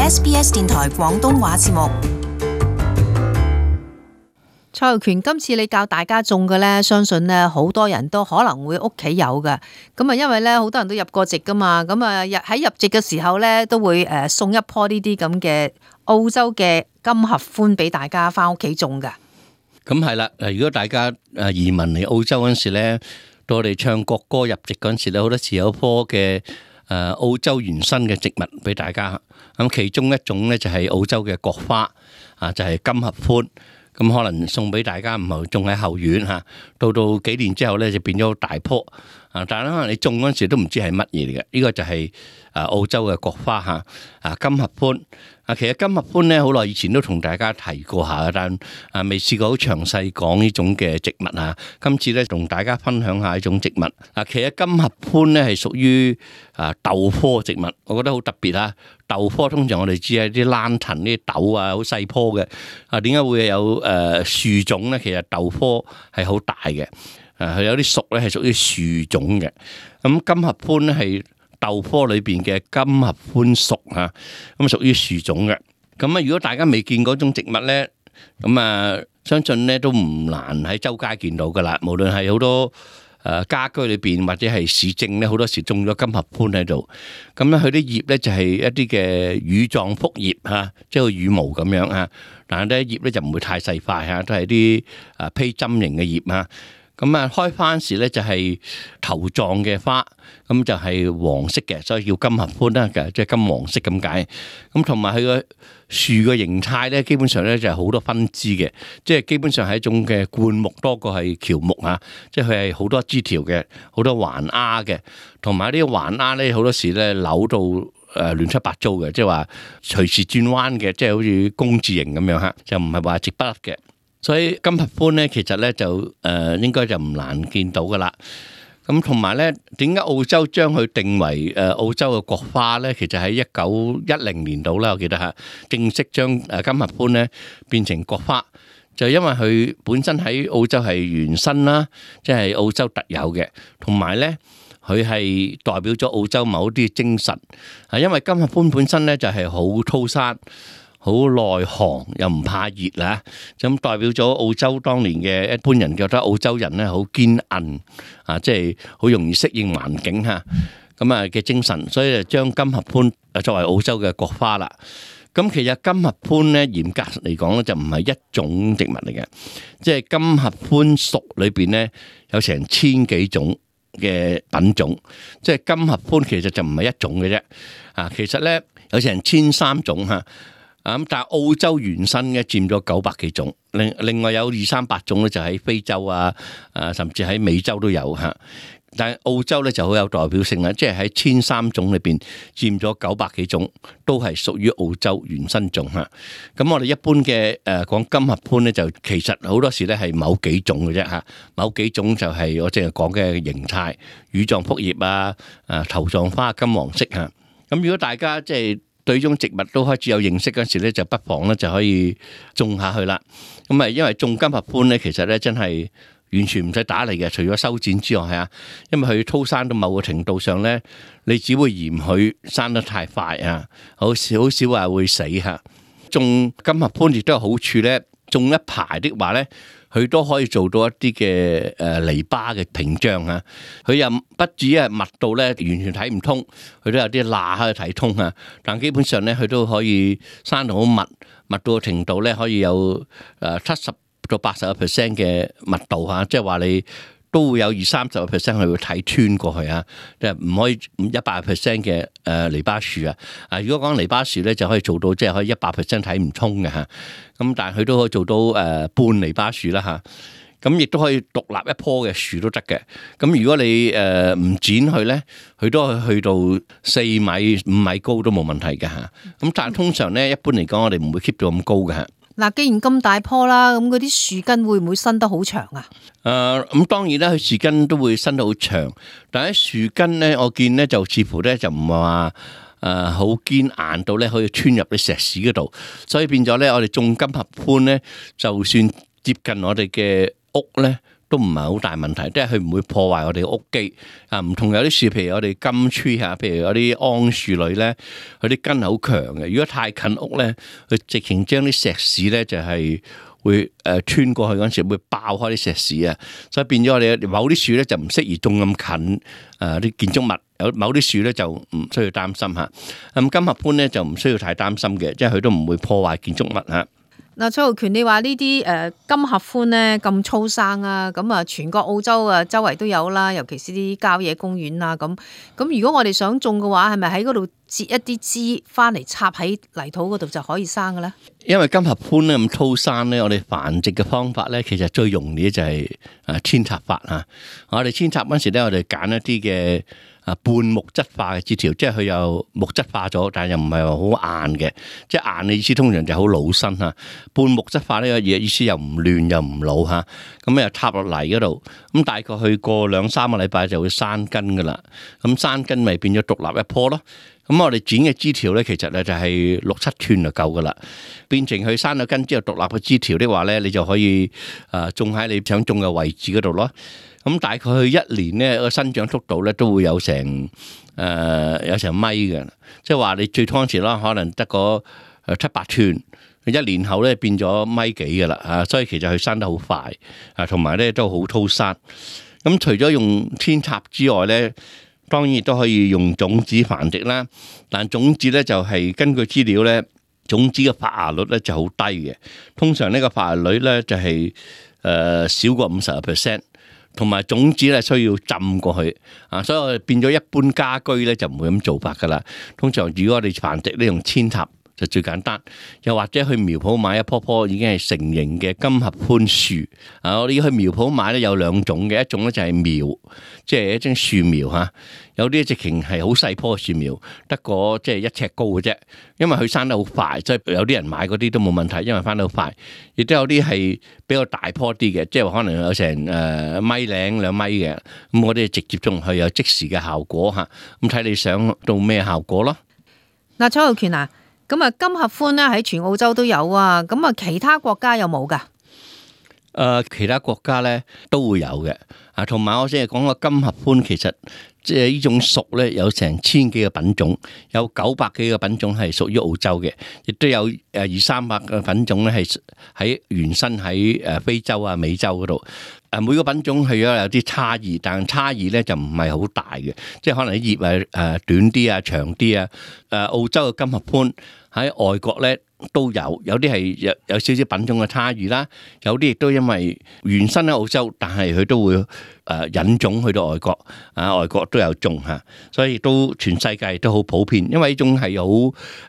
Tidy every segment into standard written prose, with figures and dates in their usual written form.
SBS 電台廣東話節目。蔡浩權，今次你教大家種嘅咧，相信咧好多人都可能會屋企有嘅。咁啊，因為咧好多人都入過籍噶嘛，咁啊喺入籍嘅時候咧都會送一棵呢啲咁嘅澳洲嘅金合歡俾大家翻屋企種噶。咁係啦，如果大家移民嚟澳洲嗰陣時咧，到我哋唱國歌入籍嗰陣時咧，好多時有一棵嘅澳洲原生嘅植物俾大家。咁其中一種咧就係澳洲嘅國花啊，就係金合歡。咁可能送俾大家，唔係種喺後院嚇，到幾年之後咧就變咗大棵啊！但係可能你種嗰陣時都唔知係乜嘢嚟嘅，呢個就係澳洲嘅國花嚇金合歡啊！其實金合歡咧好耐以前都同大家提過下，但未試過好詳細講呢種嘅植物啊。今次咧同大家分享下呢種植物啊。其實金合歡咧係屬於豆科植物，我覺得好特別啊！豆科通常我哋知係啲蘭藤啲豆啊，好細棵嘅啊。點解會有樹種咧？其實豆科係好大嘅，佢有啲屬咧係屬於樹種嘅。咁金合歡咧係豆科裏邊嘅金合歡屬嚇，咁屬於樹種嘅。咁啊，如果大家未見嗰種植物咧，咁啊，相信咧都唔難喺周街見到噶啦。無論係好多家居裏邊或者係市政咧，好多時種咗金合歡喺度。咁咧，佢啲葉咧就係一啲嘅羽狀複葉嚇，即係個羽毛咁樣嚇。但係咧葉咧就唔會太細塊嚇，都係啲披針形嘅葉嚇。咁啊，開花時咧就係頭狀嘅花，咁就係黃色嘅，所以叫金合歡啦，即係金黃色咁解。咁同埋佢個樹嘅形態咧，基本上咧就係好多分支嘅，即係基本上係一種嘅灌木多過係喬木啊，即係佢係好多枝條嘅，好多環丫嘅，同埋啲環丫咧好多時咧扭到亂七八糟嘅，即係話隨時轉彎嘅，即係好似工字形咁樣嚇，就唔係話直不甩嘅。所以金合歡咧，其實咧就應該就唔難見到噶啦。咁同埋咧，點解澳洲將佢定為澳洲嘅國花咧？其實喺1910年度啦，我記得嚇，正式將金合歡咧變成國花，就因為佢本身喺澳洲係原生啦，即係澳洲特有嘅，同埋咧佢係代表咗澳洲某啲精神啊。因為金合歡本身咧就係好粗生，好耐寒又唔怕熱啦，咁代表咗澳洲當年嘅一般人覺得澳洲人咧好堅韌啊，即係好容易適應環境嚇，咁啊嘅精神，所以就將金合歡作為澳洲嘅國花啦。咁其實金合歡咧嚴格嚟講咧就唔係一種植物嚟嘅，即係金合歡屬裏邊咧有成1000幾種嘅品種，即係金合歡其實就唔係一種嘅啫啊，其實咧有成1300種嚇。咁但係澳洲原生嘅佔咗900幾種，另外有200-300種咧就喺非洲啊，甚至喺美洲都有嚇。但係澳洲咧就好有代表性啦，即係喺1300種裏邊佔咗900幾種，都係屬於澳洲原生種嚇。咁我哋一般嘅講金合歡咧，就其實好多時咧係某幾種嘅啫嚇，某幾種就係我淨係講嘅形態，羽狀複葉啊，頭狀花金黃色嚇。咁如果大家即係對呢種植物都開始有認識嗰時咧，就不妨咧就可以種下去啦。咁啊，因為種金合歡咧，其實咧真係完全唔使打理嘅，除咗修剪之外嚇。因為佢粗生到某個程度上咧，你只會嫌佢生得太快啊，好少話會死嚇。種金合歡亦都有好處咧，種一排的話咧，佢都可以做到一啲嘅籬笆嘅屏障啊！佢又不至於密到咧完全睇唔通，佢都有啲罅可以睇通啊！但基本上咧，佢都可以生到好密到個程度咧，可以有70%到80%嘅密度嚇，即係話你都會有20-30%佢會睇穿過去啊！即係唔可以100%嘅籬笆樹啊！如果講籬笆樹咧，就可以做到即係可以100%睇唔通嘅嚇。咁但係佢都可以做到半籬笆樹啦嚇。咁亦都可以獨立一棵嘅樹都得嘅。咁如果你唔剪佢咧，佢都可以去到4米、5米高都冇問題嘅嚇。咁但係通常咧，一般嚟講，我哋唔會 keep 到咁高嘅嚇。嗱，既然咁大棵啦，咁嗰啲樹根會唔會伸得好長啊？咁當然啦，佢樹根都會伸得好長，但係樹根咧，我見咧就似乎咧就唔係話好堅硬到咧可以穿入啲石屎嗰度，所以變咗咧，我哋種金合歡咧，就算接近我哋嘅屋咧，都唔係好大問題，即係佢唔會破壞我哋屋基啊。唔同有啲樹，譬如我哋金樹啊，譬如有啲桉樹類咧，佢啲根好強嘅。如果太近屋咧，佢直情將啲石屎咧就係會穿過去嗰陣時會爆開啲石屎啊，所以變咗我哋某啲樹咧就唔適宜種咁近啲建築物，有某啲樹咧就唔需要擔心嚇。咁金合歡咧就唔需要太擔心嘅，即係佢都唔會破壞建築物嚇。嗱，蔡浩權，你話呢啲金合歡咧咁粗生啊，咁啊全國澳洲啊周圍都有啦，尤其是啲郊野公園啊咁。咁如果我哋想種嘅話，係咪喺嗰度截一啲枝翻嚟插喺泥土嗰度就可以生嘅咧？因為金合歡咧咁粗生咧，我哋繁殖嘅方法咧，其實最容易就係扦插法啊。我哋扦插嗰時咧，我哋揀一啲嘅半木質化嘅枝條，即係佢又木質化咗，但係又唔係話好硬嘅，即係硬嘅意思通常就好老身嚇。半木質化呢個嘢意思又唔亂又唔老嚇，咁又插落泥嗰度，咁大概去過2-3個禮拜就會生根噶啦，咁生根咪變咗獨立一棵咯。咁我哋剪嘅枝條咧，其實咧就係6-7寸就夠噶啦。變成佢生咗根之後獨立嘅枝條的話咧，你就可以種喺你想種嘅位置嗰度咯。咁大概去1年咧個生長速度咧都會有成米嘅，即係話你最初嗰時啦，可能得個7-8寸，1年後咧變咗米幾噶啦，所以其實佢生得好快，同埋咧都好粗生。咁除咗用扦插之外咧，當然亦都可以用種子繁殖啦，但種子咧就係根據資料咧，種子嘅發芽率咧就好低嘅。通常呢個發芽率咧就係少過50%，同埋種子咧需要浸過去啊，所以我哋變咗一般家居咧就唔會咁做法噶啦。通常如果我哋繁殖呢，用扦插就最簡單，又或者去苗圃買一棵已經係成型嘅金合歡樹啊！我哋去苗圃買咧有2種嘅，一種咧就係苗，即係一種樹苗嚇。有啲直情係好細棵嘅樹苗，得個即係1尺高嘅啫。因為佢生得好快，所以有啲人買嗰啲都冇問題，因為生得好快。亦都有啲係比較大棵啲嘅，即係可能有成1.0米、2米嘅。咁我哋直接種去有即時嘅效果嚇。咁睇你想到咩效果咯？嗱，蔡浩權啊！咁啊，金合歡咧喺全澳洲都有啊，咁啊其他國家有冇噶？其他國家咧都會有嘅，同埋我先係講個金合歡，其實即係呢種屬咧有成1000幾個品種，有900幾個品種係屬於澳洲嘅，亦都有200-300個品種咧係喺原生喺非洲啊、美洲嗰度。每個品種係有啲差異，但差異咧就唔係好大嘅，即係可能啲葉短啲啊、長啲啊。澳洲嘅金合歡喺外國咧都有啲係有少少品種嘅差異啦，有啲亦都因為原生喺澳洲，但係佢都會引種去到外國，外國都有種嚇，所以都全世界都好普遍，因為呢種係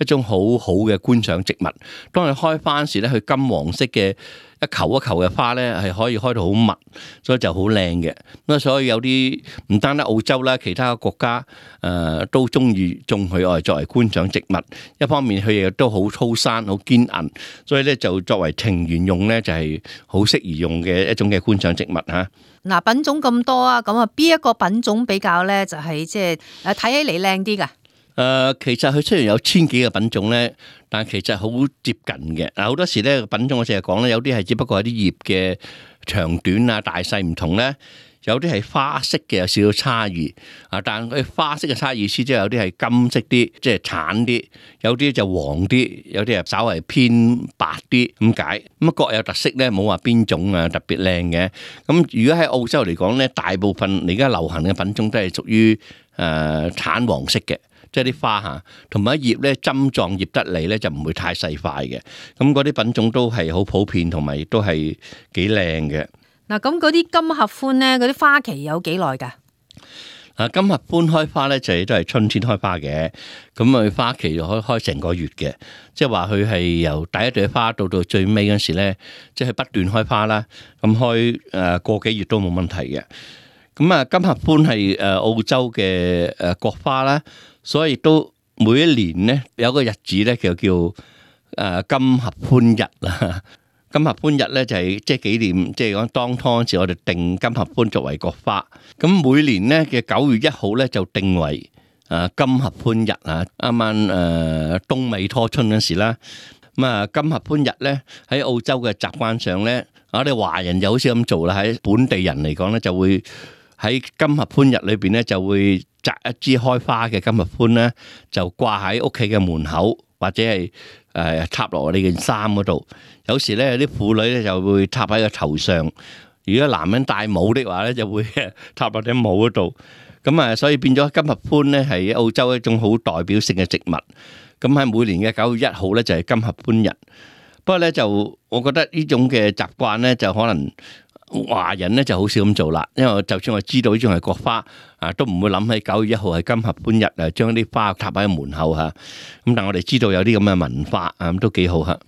一種好好嘅觀賞植物。當佢開花時咧，佢金黃色嘅一球一球嘅花咧係可以開到好密，所以就好靚嘅。咁所以有啲唔單得澳洲啦，其他國家都中意種佢愛作為觀賞植物。一方面佢亦都好粗生、好堅韌，所以咧就作為庭園用咧就係好適宜用嘅一種嘅觀賞植物嚇。嗱，品種咁多啊，咁啊邊一個品種比較咧就係即係睇起嚟靚啲噶？其實佢雖然有1000幾個品種咧，但其實好接近嘅。好多時咧品種我成日講咧，有啲係只不過係啲葉嘅長短啊、大細唔同咧，有啲係花色嘅有少少差異啊。但佢花色嘅差異意思即係有啲係金色啲，即係橙啲；有啲就黃啲，有啲係稍為偏白啲咁解。咁各有特色咧，冇話邊種啊特別靚嘅。咁如果喺澳洲嚟講咧，大部分而家流行嘅品種都係屬於橙黃色嘅。即係啲花嚇，同埋葉咧針狀葉得嚟咧就唔會太細塊嘅，咁嗰啲品種都係好普遍，同埋亦都係幾靚嘅。嗱，咁嗰啲金合歡咧，嗰啲花期有幾耐㗎？金合歡開花咧就都係春天開花嘅，咁佢花期就可以開成個月嘅，即係話佢係由第一朵花到最尾嗰時咧，即係不斷開花啦，咁開個幾月都冇問題嘅。咁金合歡係澳洲嘅國花啦。所以都每一年咧有個日子咧，就叫金合歡日啦。金合歡日咧就係即係紀念，即係講當初嗰時我哋定金合歡作為國花。咁每年咧嘅9月1號咧就定為金合歡日啊。啱啱冬尾初春嗰時啦。咁金合歡日咧喺澳洲嘅習慣上咧，我哋華人就好少咁做啦，喺本地人嚟講咧，就會喺金合歡日裏邊咧，就會摘一支開花嘅金合歡咧，就掛喺屋企嘅門口，或者係插落你件衫嗰度。有時咧，有啲婦女咧就會插喺個頭上。如果男人戴帽的話咧，就會插落頂帽嗰度。咁啊，所以變咗金合歡咧係澳洲一種好代表性嘅植物。咁喺每年嘅9月1號咧就係金合歡日。不過咧就我覺得呢種嘅習慣咧就可能華人咧就好少咁做啦。因為就算我知道呢種係國花啊，都唔會諗起9月1號係金合歡日啊，將啲花插喺門口嚇。咁但係我哋知道有啲咁嘅文化啊，咁都幾好嚇。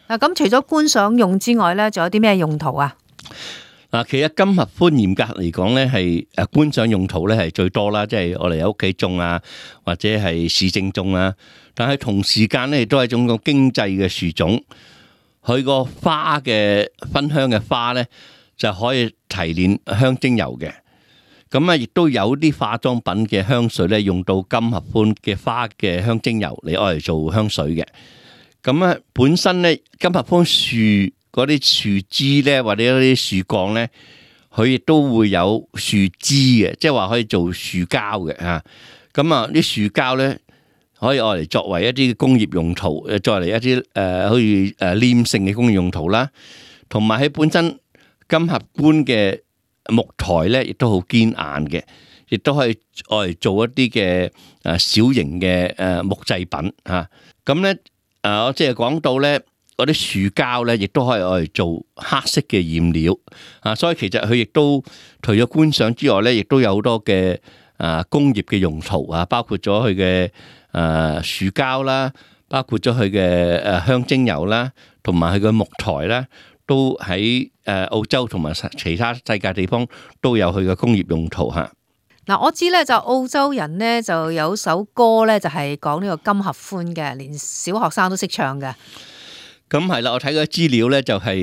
嗱，咁除咗觀賞用之外咧，仲有啲咩用途啊？嗱，其實金合歡嚴格嚟講咧，係觀賞用途咧係最多啦，即係我哋喺屋企種啊，或者係市政種啊。但係同時間咧，亦都係一種個經濟嘅樹種。佢個花嘅芬香嘅花咧，就可以提煉香精油嘅。咁啊，亦都有啲化妝品嘅香水咧，用到金合歡嘅花嘅香精油嚟愛嚟做香水嘅。咁啊，本身咧金合歡樹嗰啲樹枝咧，或者嗰啲樹幹咧，佢亦都會有樹枝嘅，即係話可以做樹膠嘅嚇。咁啊，啲樹膠咧可以愛嚟作為一啲工業用途，作為一啲好似黏性嘅工業用途啦。同埋喺本身金合歡嘅木材咧，亦都好堅硬嘅，亦都可以愛嚟做一啲嘅小型嘅木製品嚇。咁咧我即係講到咧。嗰啲樹膠咧，亦都可以愛嚟做黑色嘅染料啊！所以其實佢亦都除咗觀賞之外咧，亦都有好多嘅工業嘅用途啊，包括咗佢嘅樹膠啦，包括咗佢嘅香精油啦，同埋佢嘅木材啦，都喺澳洲同埋其他世界地方都有佢嘅工業用途嚇。嗱，我知咧就澳洲人咧就有首歌咧就係講呢個金合歡嘅，連小學生都識唱嘅。咁係啦，我睇嗰資料咧就係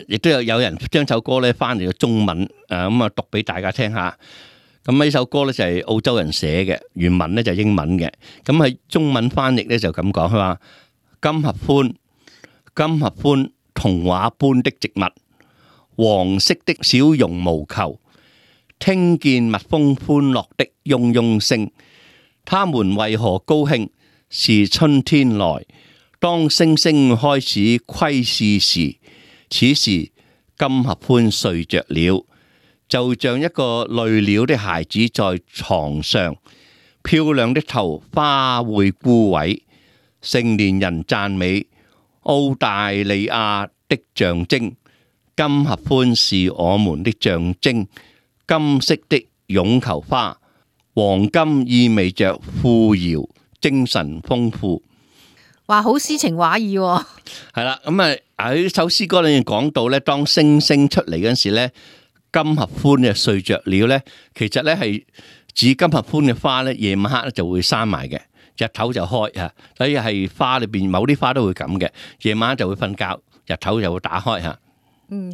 亦都有人將首歌咧翻嚟個中文咁啊讀俾大家聽下。咁呢首歌咧就係澳洲人寫嘅，原文咧就係英文嘅。咁喺中文翻譯咧就咁講，佢話金合歡，金合歡童話般的植物，黃色的小絨毛球，聽見蜜蜂歡樂的嗡嗡聲，他們為何高興？是春天來。當星星開始窺視時，此時金合歡睡着了，就像一個累了的孩子在床上。漂亮的頭花會枯萎，成年人讚美澳大利亞的象徵。金合歡是我們的象徵，金色的絨球花，黃金意味着富饒、精神豐富。話好詩情畫意喎。係啦，咁啊喺首詩歌裏面講到咧，當星星出嚟嗰陣時咧，金合歡嘅睡着了咧，其實咧係指金合歡嘅花咧，夜晚黑咧就會閂埋嘅，日頭就開啊，所以係花裏邊某啲花都會咁嘅，夜晚就會瞓覺，日頭就會打開吓。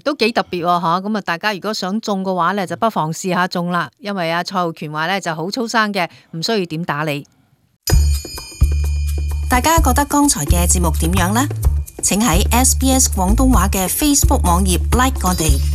都幾特別吓，咁啊大家如果想種嘅話咧，就不妨試下種啦，因為阿蔡浩權話咧就好粗生嘅，唔需要點打理。大家覺得剛才嘅節目點樣呢？請喺SBS 廣東話嘅 Facebook 網頁 like 我哋。